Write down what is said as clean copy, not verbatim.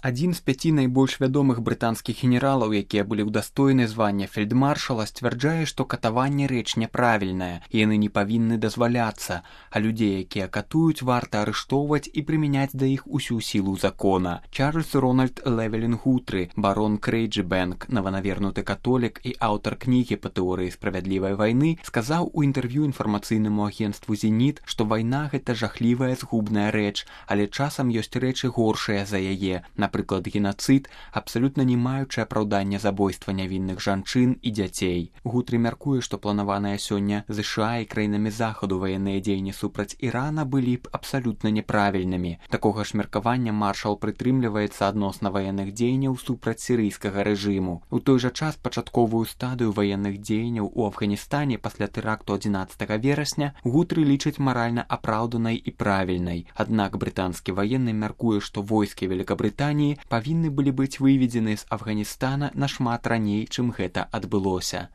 Адзін з 5 найбольш вядомых брытанскіх генералаў, якія былі ўдастоены звання фельдмаршала, сцвярджае, што катаванне рэч няправільная, і яны не павінны дазваляцца, а людзей, якія катуюць, варта арыштоўваць і прымяняць да іх усю сілу закона. Чарльз Рональд Левелін Гутры, барон Крейджбэнк, новонавернуты католік і аўтар кнігі па тэорыі справядлівай вайны, сказаў у інтэрв'ю інфармацыйнаму агенцтву «Зеніт», што вайна – гэта жахлівая згубная рэч, але часам ёсць рэчы горшыя за яе. Напрыклад, генацыд, абсалютна не маючы апраўдання забойства нявінных жанчын і дзяцей. Гутры мяркуе, што планаваныя сёння ЗША і краінамі захаду ваенныя дзеянні супраць Ірана былі б абсалютна няправільнымі. Такога ж меркавання маршал прытрымліваецца адносна ваенных дзеянняў супраць сірыйскага рэжыму. У той жа час пачатковую стадыю ваенных дзеянняў у Афганістане пасля тэракту 11 верасня Гутры лічыць маральна апраўданай і правільнай. Аднак брытанскі ваенны мяркуе, што войскі Великабрытаніі павінны былі быць выведзены з Афганістана нашмат раней, чым гэта адбылося.